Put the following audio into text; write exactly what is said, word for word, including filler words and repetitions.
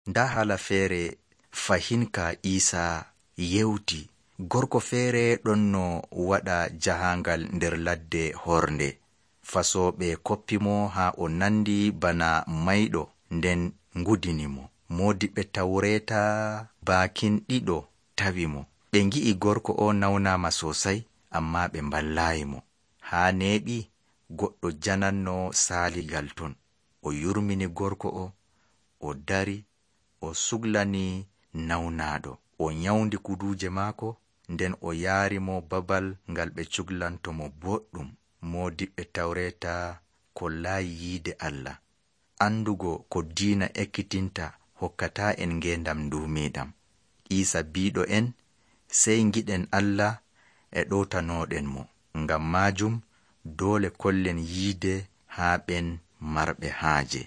nda hala feere fahinka Isa yewti. Gorko feere ɗon no waɗa jahangal nder ladde hornde. Fasooɓe koppimo haa o nandi bana mayɗo, nden ngudini mo. Moodiɓɓe Tawreeta baakin ɗiɗo tawi mo. Ɓe ngi'i gorko o nawnaama sosai, amma ɓe mballaayi mo. Haa neeɓi goɗɗo jananno saaligal ton. O yurmini gorko o, o dari, o suglani nawnaaɗo. O nyawndi kuduuje maako, nden o yaari mo babal ngal ɓe cuglanto mo boɗɗum. Moodiɓɓe Tawreeta kollaayi yiide Allah. Andugo ko diina ekkitinta hokkataa en ngeendam nduumiiɗam. Iisa biiɗo en sey ngiɗen Allah e ɗowtanooɗen mo. Ngam maajum doole kollen yiide haa ɓen marɓe haaje.